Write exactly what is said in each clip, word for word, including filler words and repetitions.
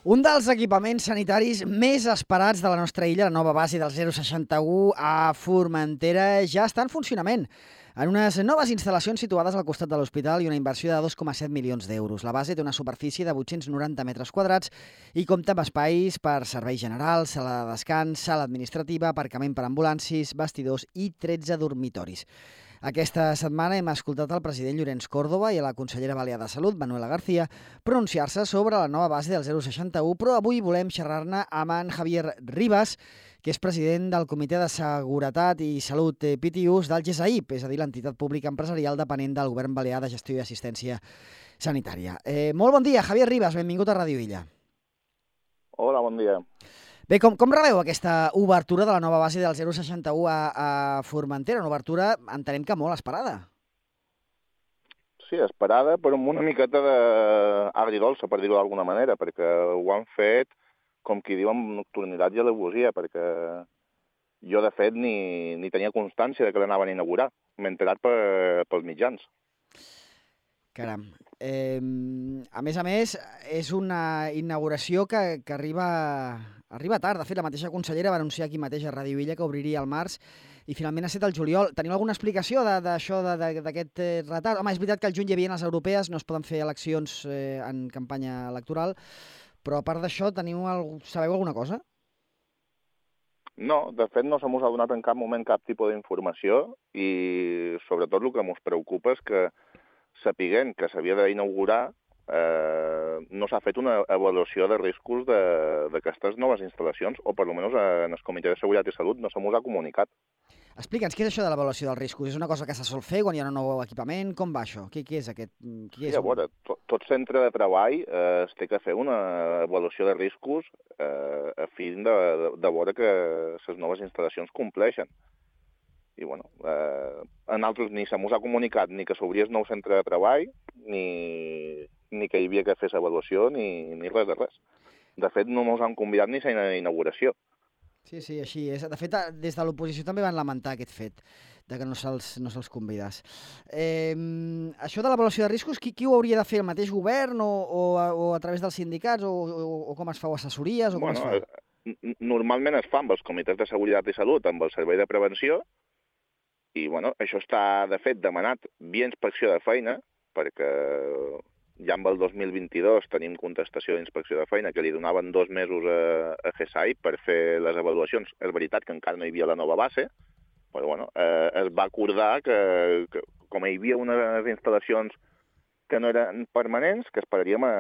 Un dels equipaments sanitaris més esperats de la nostra illa, la nova base del zero seixanta u a Formentera, ja està en funcionament. En unes noves instal·lacions situades al costat de l'hospital i una inversió de dos coma set milions d'euros. La base té una superfície de vuit-cents noranta metres quadrats i compta amb espais per serveis generals, sala de descans, sala administrativa, aparcament per ambulàncies, vestidors i tretze dormitoris. Aquesta setmana hem escoltat el president Llorenç Córdoba i a la consellera balear de Salut, Manuela García, pronunciar-se sobre la nova base del zero seixanta u, però avui volem xerrar-ne amb en Javier Ribas, que és president del Comitè de Seguretat i Salut P T Us del GESAIP, és a dir, l'entitat pública empresarial depenent del Govern Balear de Gestió i Assistència Sanitària. Eh, molt bon dia, Javier Ribas, benvingut a Ràdio Illa. Hola, bon dia. Bé, com, com rebeu aquesta obertura de la nova base del zero seixanta u a, a Formentera? Una obertura, entenem que molt esperada. Sí, esperada, però amb una miqueta d'agridolça, per dir-ho d'alguna manera, perquè ho han fet, com qui diu, amb nocturnitat i al·legosia, perquè jo, de fet, ni, ni tenia constància de que l'anaven a inaugurar. M'he enterat per, pels mitjans. Caram. Eh, a més a més, és una inauguració que, que arriba, arriba tard. De fet, la mateixa consellera va anunciar aquí mateix a Ràdio Illa que obriria al març i finalment ha estat el juliol. Teniu alguna explicació d'això, d'aquest retard? Home, és veritat que al juny hi havia les europees, no es poden fer eleccions eh, en campanya electoral, però a part d'això, teniu el... sabeu alguna cosa? No, de fet no se mos ha donat en cap moment cap tipus d'informació i sobretot el que ens preocupa és que sapiguent que s'havia d'inaugurar eh, no s'ha fet una avaluació de riscos d'aquestes noves instal·lacions o per almenys en el Comitè de Seguretat i Salut no se mos ha comunicat. Explica'ns, què és això de l'avaluació dels riscos? És una cosa que se sol fer quan hi ha un nou equipament? Com va això? Què, què és aquest? Què és? Sí, a veure, tot, tot centre de treball eh, es té que fer una avaluació de riscos eh, a fi de, de, de veure que les noves instal·lacions compleixen. I, bueno, eh, a nosaltres ni se mos ha comunicat ni que s'obria el nou centre de treball, ni, ni que hi havia que fer l'avaluació, ni, ni res de res. De fet, no mos han convidat ni a la inauguració. Sí, sí, així és. De fet, des de l'oposició també van lamentar aquest fet, de que no se'ls no se'ls convidàs. Eh, això de l'avaluació de riscos, qui, qui ho hauria de fer? El mateix govern o, o, a, o a través dels sindicats? O, o, o com es fa? O assessories? O com bueno, es fa? Normalment es fa amb els comitès de seguretat i salut, amb el servei de prevenció, i bueno, això està, de fet, demanat via inspecció de feina, perquè ja amb el dos mil vint-i-dos tenim contestació d'inspecció de feina que li donaven dos mesos a, a GESAIP per fer les avaluacions. És veritat que encara no hi havia la nova base, però bueno, eh, es va acordar que, que com hi havia unes instal·lacions que no eren permanents, que esperaríem a,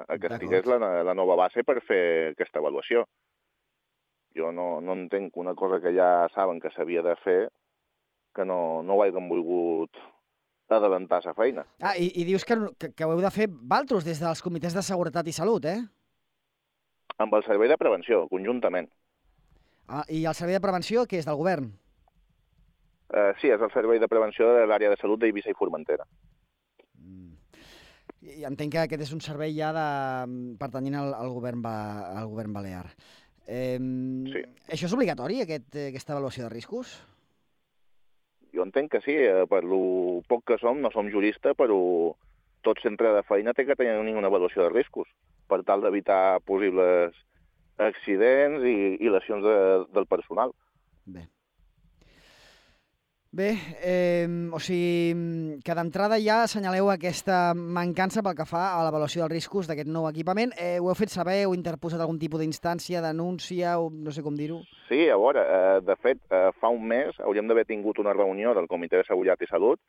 a que estigués la, la nova base per fer aquesta avaluació. Jo no, no entenc una cosa que ja saben que s'havia de fer, que no, no ho hagin volgut adelantar la feina. Ah, i, i dius que, que, que ho heu de fer valtros des dels comitès de seguretat i salut, eh? Amb el servei de prevenció, conjuntament. Ah, i el servei de prevenció, què és, del govern? Uh, sí, és el servei de prevenció de l'àrea de salut d'Eivissa i Formentera. Mm. I entenc que aquest és un servei ja de, pertanyent al, al, govern, ba, al govern balear. Eh, sí. Això és obligatori, aquest, aquesta avaluació de riscos? Jo entenc que sí, per lo poc que som, no som juristes, però tot centre de feina té que tenir una avaluació de riscos per tal d'evitar possibles accidents i, i lesions de, del personal. Bé. Bé, eh, o sigui, que d'entrada ja assenyaleu aquesta mancança pel que fa a l'avaluació dels riscos d'aquest nou equipament. Eh, ho heu fet saber, heu interposat algun tipus d'instància, denúncia, o no sé com dir-ho? Sí, a veure, eh, de fet, eh, fa un mes hauríem d'haver tingut una reunió del Comitè de Seguretat i Salut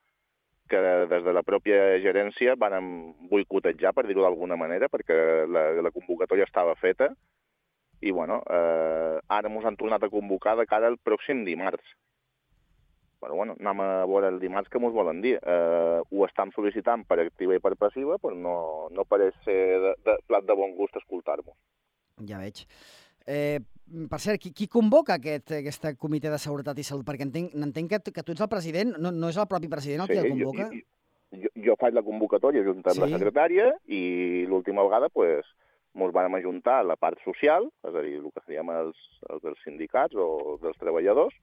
que des de la pròpia gerència van boicotejar, per dir-ho d'alguna manera, perquè la, la convocatòria estava feta i, bueno, eh, ara ens han tornat a convocar de cara al pròxim dimarts. Però, bueno, anem a veure el dimarts que ens volen dir. Eh, ho estan sol·licitant per activa i per passiva, però no, no pareix ser de, de plat de bon gust escoltar-nos. Ja veig. Eh, per cert, qui, qui convoca aquest, aquest comitè de seguretat i salut? Perquè entenc, entenc que, que tu ets el president, no, no és el propi president el sí, qui el convoca? Jo, jo, jo, jo faig la convocatòria junt amb sí. la secretària i l'última vegada pues, ens vam ajuntar la part social, és a dir, el que seríem els, els dels sindicats o dels treballadors,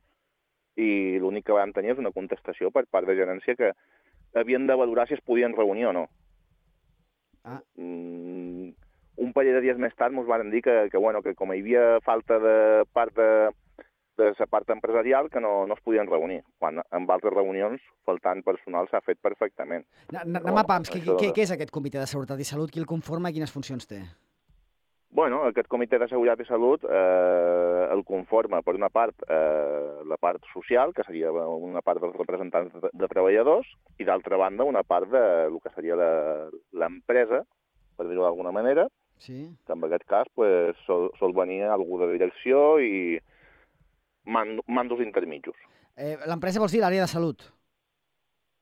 i l'únic que vam tenir és una contestació per part de gerència que havien de valorar si es podien reunir o no. Ah. Mm, un parell de dies més tard ens van dir que, que, bueno, que com hi havia falta de part de, de la part empresarial, que no, no es podien reunir, quan en altres reunions, faltant personal, s'ha fet perfectament. Anem a pams, què, què, què és aquest Comitè de Seguretat i Salut? Qui el conforma i quines funcions té? Bueno, aquest Comitè de Seguretat i Salut eh, el conforma, per una part, eh, la part social, que seria una part dels representants de, de treballadors, i d'altra banda, una part de el que seria l'empresa, per dir-ho d'alguna manera, sí. Que en aquest cas pues, sol, sol venir algú de direcció i mand, mandos intermitjos. Eh, l'empresa vols dir l'àrea de salut?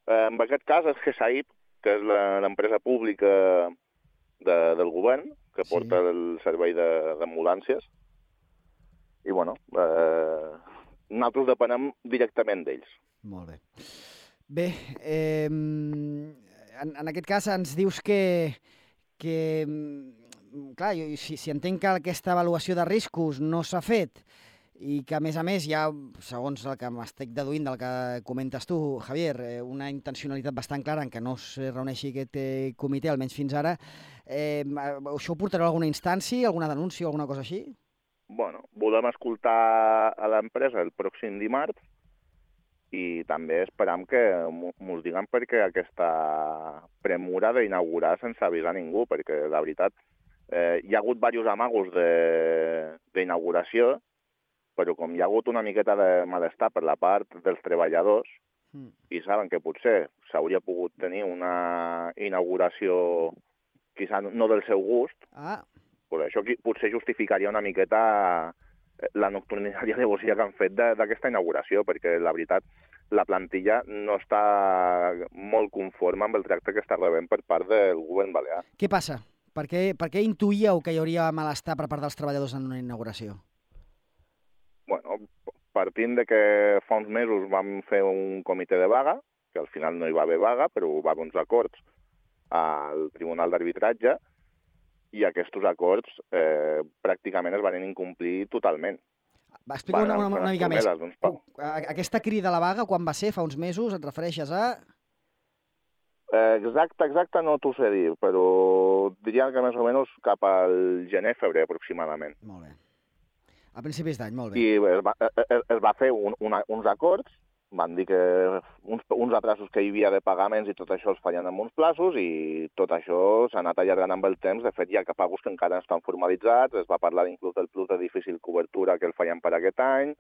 Eh, en aquest cas és G S A I P, que és l'empresa pública de, del govern, que porta sí. el servei d'ambulàncies. I, bueno, eh, nosaltres depenem directament d'ells. Molt bé. Bé, eh, en, en aquest cas ens dius que, que clar, jo, si, si entenc que aquesta avaluació de riscos no s'ha fet i que, a més a més, hi ha, segons el que m'estic deduint del que comentes tu, Javier, una intencionalitat bastant clara en què no es reuneixi aquest comitè, almenys fins ara, eh, això ho portarà a alguna instància, alguna denúncia o alguna cosa així? Bueno, volem escoltar a l'empresa el pròxim dimarts i també esperam que mos diguen perquè aquesta premura d'inaugurar sense avisar ningú, perquè la veritat eh, hi ha hagut diversos amagos d'inauguració, però com hi ha hagut una miqueta de malestar per la part dels treballadors mm. i saben que potser s'hauria pogut tenir una inauguració quizà no del seu gust, ah. Pues això potser justificaria una miqueta la nocturnidària devoció que han fet d'aquesta inauguració, perquè la veritat la plantilla no està molt conforme amb el tracte que està rebent per part del govern balear. Què passa? Per què, per què intuïeu que hi hauria malestar per part dels treballadors en una inauguració? Bueno, partint de que fa uns mesos vam fer un comitè de vaga, que al final no hi va haver vaga, però va haver uns acords al Tribunal d'Arbitratge, i aquests acords eh, pràcticament es van incomplir totalment. Va explicar una, una, una mica més. Doncs, aquesta crida a la vaga, quan va ser? Fa uns mesos? Et refereixes a...? Eh, exacte, exacte no t'ho sé dir, però diria que més o menys cap al gener-febrer aproximadament. Molt bé. A principis d'any, molt bé. I es va, es, es va fer un, una, uns acords, van dir que uns, uns atrasos que hi havia de pagaments i tot això els feien amb uns plaços i tot això s'ha anat allargant amb el temps. De fet, hi ha pagos que encara no estan formalitzats, es va parlar inclús del plus de difícil cobertura que el feien per aquest any,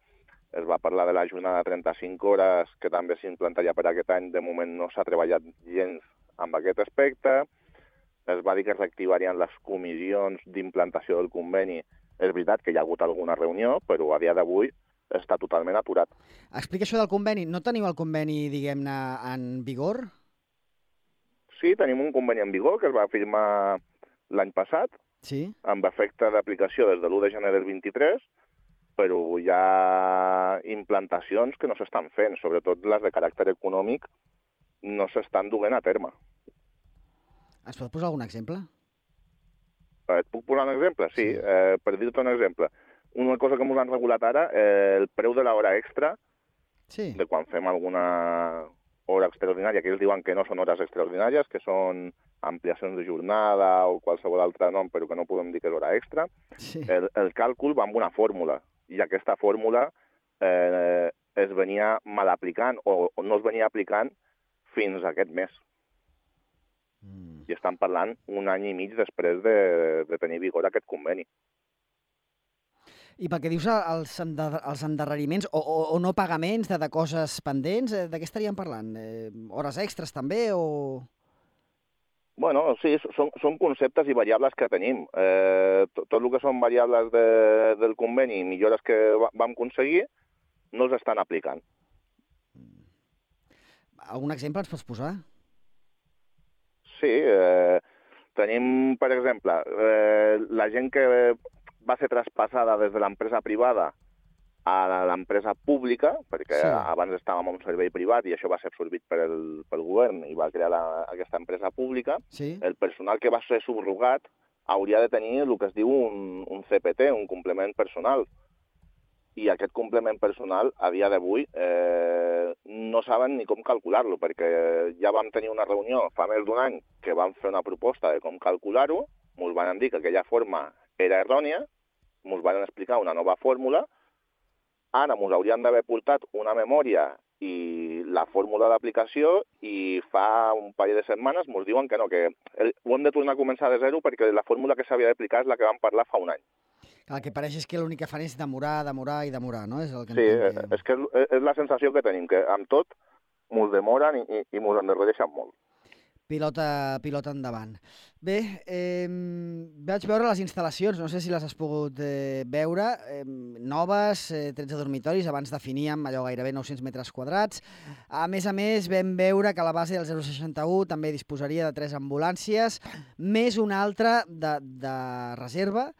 es va parlar de la jornada de trenta-cinc hores que també s'implantaria per aquest any, de moment no s'ha treballat gens amb aquest aspecte, es va dir que es reactivarien les comissions d'implantació del conveni. És veritat que hi ha hagut alguna reunió, però a dia d'avui està totalment aturat. Explica això del conveni. No teniu el conveni, diguem-ne, en vigor? Sí, tenim un conveni en vigor que es va firmar l'any passat, sí? Amb efecte d'aplicació des de l'u de gener del vint-i-tres, però hi ha implantacions que no s'estan fent, sobretot les de caràcter econòmic, no s'estan duent a terme. Ens pot posar algun exemple? Et puc posar un exemple? Sí, sí. Eh, per dir-te un exemple. Una cosa que ens han regulat ara, eh, el preu de l'hora extra, sí. De quan fem alguna hora extraordinària, que ells diuen que no són hores extraordinàries, que són ampliacions de jornada o qualsevol altre nom, però que no podem dir que és hora extra, sí. el, el càlcul va amb una fórmula, i aquesta fórmula eh, es venia mal aplicant o, o no es venia aplicant fins a aquest mes. Mm. I estan parlant un any i mig després de, de tenir vigor aquest conveni. I pel que dius els, ender, els endarreriments o, o, o no pagaments de, de coses pendents, de què estaríem parlant? Eh, hores extres també o...? Bueno, sí, són, són conceptes i variables que tenim. Eh, tot, tot el que són variables de, del conveni i millores que vam aconseguir no els estan aplicant. Algun exemple ens pots posar? Sí, eh, tenim, per exemple, eh, la gent que va ser traspassada des de l'empresa privada a l'empresa pública, perquè sí. Abans estàvem en un servei privat i això va ser absorbit pel, pel govern i va crear la, aquesta empresa pública, sí. El personal que va ser subrogat hauria de tenir el que es diu un, un C P T, un complement personal. I aquest complement personal, a dia d'avui, eh, no saben ni com calcular-lo, perquè ja vam tenir una reunió fa més d'un any que vam fer una proposta de com calcular-ho, ens van dir que aquella forma era errònia, ens van explicar una nova fórmula, ara ens haurien d'haver portat una memòria i la fórmula d'aplicació i fa un parell de setmanes ens diuen que no, que ho hem de tornar a començar de zero perquè la fórmula que s'havia d'aplicar és la que vam parlar fa un any. El que pareix és que l'únic que fan és demorar, demorar i demorar, no? És el que sí, entenc que... és que és la sensació que tenim, que amb tot ens demoren i, i, i ens endarrereixen molt. Pilota, pilota endavant. Bé, eh, vaig veure les instal·lacions, no sé si les has pogut eh, veure, eh, noves, eh, tretze dormitoris, abans definíem allò gairebé nou-cents metres quadrats. A més a més, vam veure que la base del zero seixanta u també disposaria de tres ambulàncies, més una altra de, de reserva,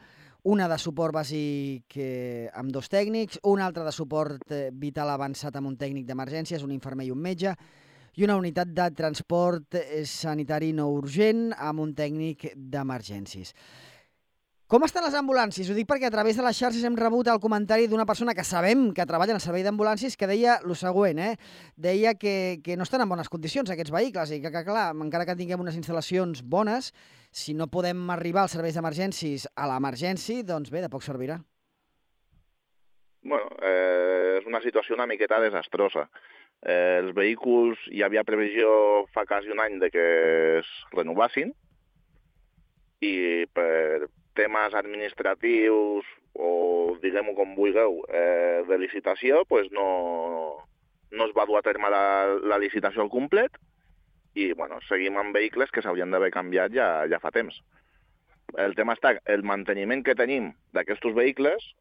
una de suport bàsic eh, amb dos tècnics, una altra de suport eh, vital avançat amb un tècnic d'emergències, un infermer i un metge, i una unitat de transport sanitari no urgent amb un tècnic d'emergències. Com estan les ambulàncies? Ho dic perquè a través de les xarxes hem rebut el comentari d'una persona que sabem que treballa en el servei d'ambulàncies que deia el següent, eh? Deia que, que no estan en bones condicions aquests vehicles i que, que, clar, encara que tinguem unes instal·lacions bones, si no podem arribar als serveis d'emergències a l'emergència, doncs bé, de poc servirà. Bueno, eh, és una situació una miqueta desastrosa. Eh, els vehicles, hi havia previsió fa quasi un any de que es renovassin i per temes administratius o diguem-ho com vulgueu, eh, de licitació, pues no, no es va dur a terme la, la licitació al complet i bueno, seguim amb vehicles que s'haurien d'haver canviat ja, ja fa temps. El tema està, el manteniment que tenim d'aquests vehicles,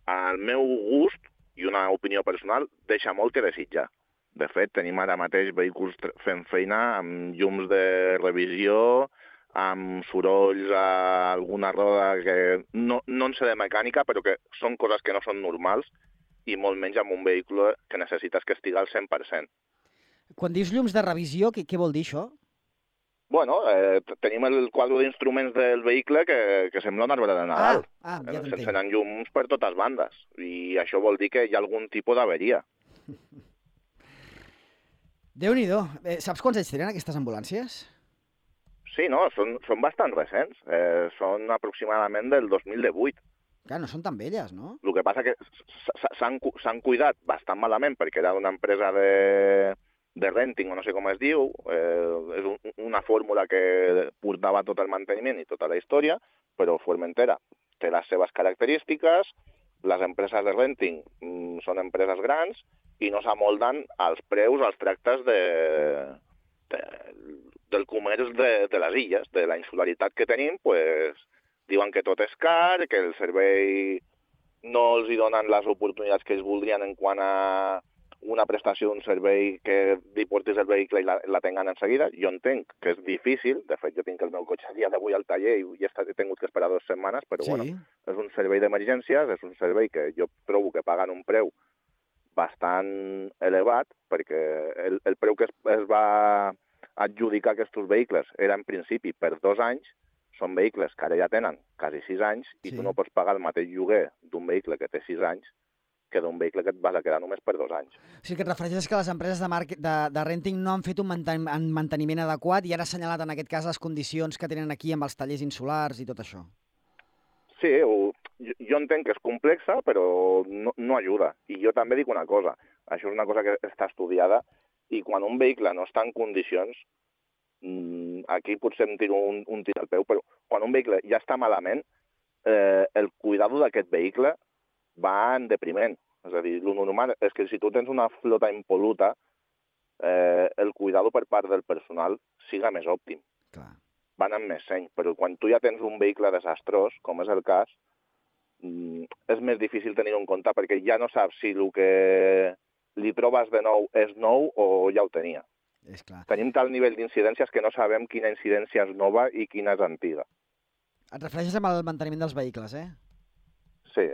al meu gust, i una opinió personal, deixa molt que desitjar. De fet, tenim ara mateix vehicles fent feina amb llums de revisió, amb sorolls a alguna roda que no, no en sé de mecànica, però que són coses que no són normals, i molt menys amb un vehicle que necessites que estigui al cent per cent. Quan dius llums de revisió, què, què vol dir això? Bueno, eh, tenim el quadre d'instruments del vehicle que, que sembla un arbre de Nadal. Ah, ah, ja s'encenen llums per totes bandes. I això vol dir que hi ha algun tipus d'averia. Déu-n'hi-do. Eh, saps quants anys tenen aquestes ambulàncies? Sí, no, són, són bastant recents. Eh, són aproximadament del dos mil divuit. Clar, no són tan velles, no? El que passa que s'han cuidat bastant malament perquè era una empresa de... de renting, o no sé com es diu, eh, és un, una fórmula que portava tot el manteniment i tota la història, però Formentera té les seves característiques, les empreses de renting mm, són empreses grans i no s'amolden als preus, als tractes de, de, del comerç de, de les illes, de la insularitat que tenim, pues, diuen que tot és car, que el servei no els hi donen les oportunitats que ells voldrien en quant a una prestació d'un servei que li portis el vehicle i la, la tenguen en seguida. Jo entenc que és difícil, de fet jo tinc el meu cotxe a dia d'avui al taller i ja he tingut que esperar dues setmanes, però sí. Bueno, és un servei d'emergències, és un servei que jo trobo que paguen un preu bastant elevat, perquè el, el preu que es, es va adjudicar aquests vehicles era en principi per dos anys, són vehicles que ara ja tenen quasi sis anys i sí. Tu no pots pagar el mateix lloguer d'un vehicle que té sis anys que d'un vehicle que et vas a quedar només per dos anys. O sigui, que et refereixes que les empreses de, de, de renting no han fet un manteniment adequat i han assenyalat en aquest cas les condicions que tenen aquí amb els tallers insulars i tot això. Sí, ho, jo, jo entenc que és complexa, però no, no ajuda. I jo també dic una cosa, això és una cosa que està estudiada, i quan un vehicle no està en condicions, aquí potser em tiro un, un tir al peu, però quan un vehicle ja està malament, eh, el cuidado d'aquest vehicle va en depriment. És a dir, el normal és que si tu tens una flota impol·luta, eh, el cuidado per part del personal siga més òptim. Clar. Van amb més seny, però quan tu ja tens un vehicle desastrós, com és el cas, és més difícil tenir-ho en compte perquè ja no saps si el que li trobes de nou és nou o ja ho tenia. És clar. Tenim tal nivell d'incidències que no sabem quina incidència és nova i quina és antiga. Et refereixes amb el manteniment dels vehicles, eh? Sí.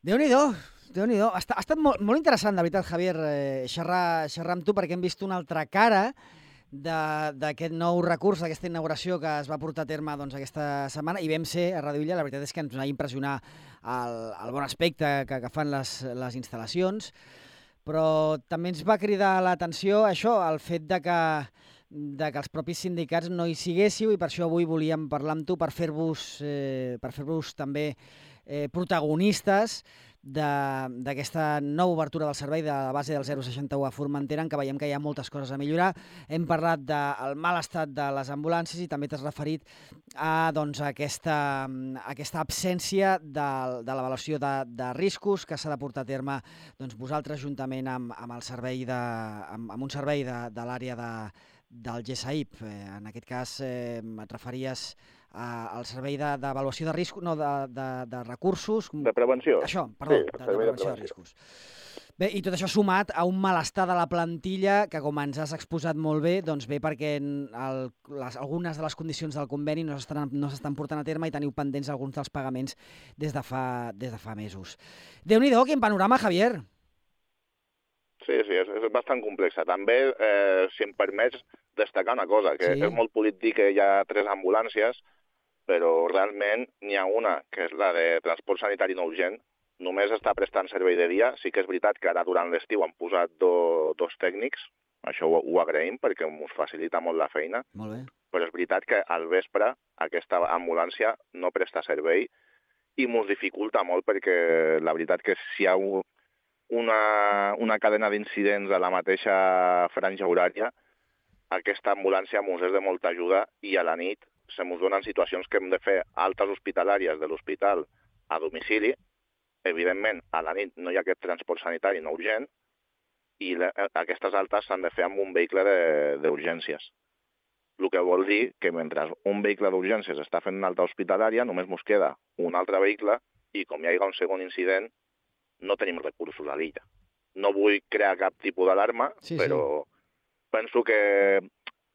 Déu-n'hi-do, Déu-n'hi-do. Ha, ha estat molt, molt interessant, de veritat, Javier, eh, xerrar, xerrar amb tu, perquè hem vist una altra cara d'aquest nou recurs, d'aquesta inauguració que es va portar a terme doncs, aquesta setmana, i vam ser a Radio Illa. La veritat és que ens va impressionar el, el bon aspecte que, que fan les, les instal·lacions, però també ens va cridar l'atenció això, el fet de que de que els propis sindicats no hi siguéssiu i per això avui volíem parlar amb tu per fer-vos eh, per fer-vos també eh, protagonistes d'aquesta nova obertura del servei de la base del zero seixanta u a Formentera, en què veiem que hi ha moltes coses a millorar. Hem parlat del mal estat de les ambulàncies i també t'has referit a doncs, aquesta, aquesta absència de, de l'avaluació de, de riscos que s'ha de portar a terme doncs, vosaltres juntament amb, amb, el servei de, amb, amb un servei de, de l'àrea de, del G S A I P. Eh, en aquest cas eh, et referies al servei d'avaluació de, de riscos, no, de, de, de recursos... De prevenció. Això, perdó, sí, de, de, prevenció de, de riscos. Bé, i tot això sumat a un malestar de la plantilla que, com ens has exposat molt bé, doncs bé perquè el, les, algunes de les condicions del conveni no s'estan no s'estan portant a terme i teniu pendents alguns dels pagaments des de fa, des de fa mesos. Déu-n'hi-do, quin panorama, Javier! Sí, sí, és, és bastant complexa. També, eh, si em permets destacar una cosa, que sí. És molt polit dir que hi ha tres ambulàncies, però realment n'hi ha una, que és la de transport sanitari no urgent, només està prestant servei de dia. Sí que és veritat que ara durant l'estiu han posat do, dos tècnics, això ho, ho agraïm perquè ens facilita molt la feina, molt bé. Però és veritat que al vespre aquesta ambulància no presta servei i ens dificulta molt perquè la veritat que si hi ha una, una cadena d'incidents a la mateixa franja horària, aquesta ambulància ens és de molta ajuda i a la nit se ens donen situacions que hem de fer altes hospitalàries de l'hospital a domicili. Evidentment, a la nit no hi ha aquest transport sanitari no urgent i le, aquestes altes s'han de fer amb un vehicle d'urgències. El que vol dir que mentre un vehicle d'urgències està fent una alta hospitalària, només ens queda un altre vehicle i com hi hagi un segon incident, no tenim recursos a l'illa. No vull crear cap tipus d'alarma, sí, però sí. Penso que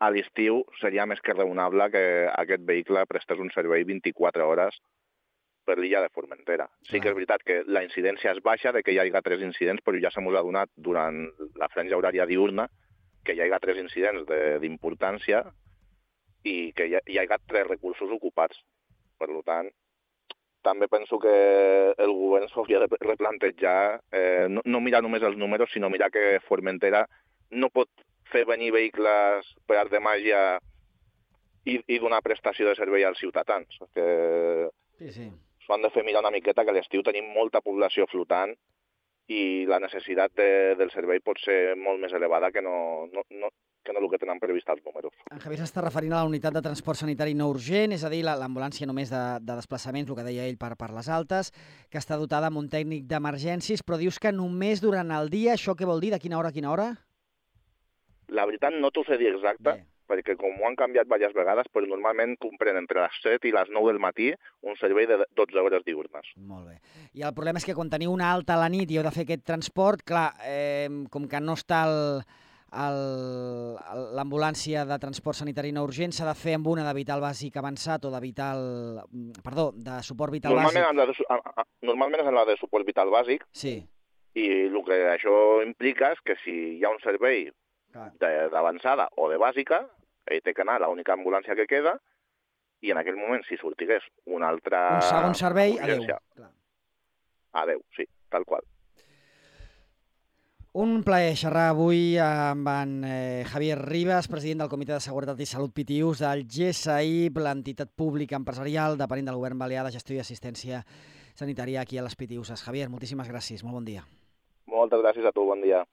a l'estiu seria més que raonable que aquest vehicle prestés un servei vint-i-quatre hores per l'illa de Formentera. Sí que és veritat que la incidència és baixa, de que hi hagi tres incidents, però ja se m'ha donat durant la franja horària diurna que hi hagi tres incidents d'importància i que hi, ha, hi hagi tres recursos ocupats. Per tant, també penso que el govern s'hauria de replantejar, eh, no, no mirar només els números, sinó mirar que Formentera no pot fer venir vehicles per art de màgia i, i donar prestació de servei als ciutadans. Que sí, sí. S'ho han de fer mirar una miqueta, que a l'estiu tenim molta població flotant i la necessitat de, del servei pot ser molt més elevada que no, no, no, que no el que tenen previst els números. En Javier s'està referint a la unitat de transport sanitari no urgent, és a dir, l'ambulància només de, de desplaçaments, el que deia ell per, per les altes, que està dotada amb un tècnic d'emergències, però dius que només durant el dia, això què vol dir? De quina hora a quina hora? La veritat no t'ho sé dir exacte, bé, perquè com ho han canviat diverses vegades, però normalment compren entre les set i les nou del matí un servei de dotze hores diurnes. Molt bé. I el problema és que quan teniu una alta a la nit i heu de fer aquest transport, clar, eh, com que no està l'ambulància de transport sanitari no urgent, s'ha de fer amb una de vital bàsic avançat o de vital... Perdó, de suport vital normalment bàsic. En la de, normalment és en la de suport vital bàsic, sí. I el que això implica és que si hi ha un servei d'avançada o de bàsica, ell té que anar a l'única ambulància que queda i en aquell moment, si sortigués una altra... Un segon servei, adeu. Adeu, sí, tal qual. Un plaer xerrar avui amb en eh, Javier Ribas, president del Comitè de Seguretat i Salut P T U S del G S A I P, l'entitat pública empresarial depenent del govern balear de gestió i assistència sanitària aquí a les P T U S. Javier, moltíssimes gràcies, molt bon dia. Moltes gràcies a tu, bon dia.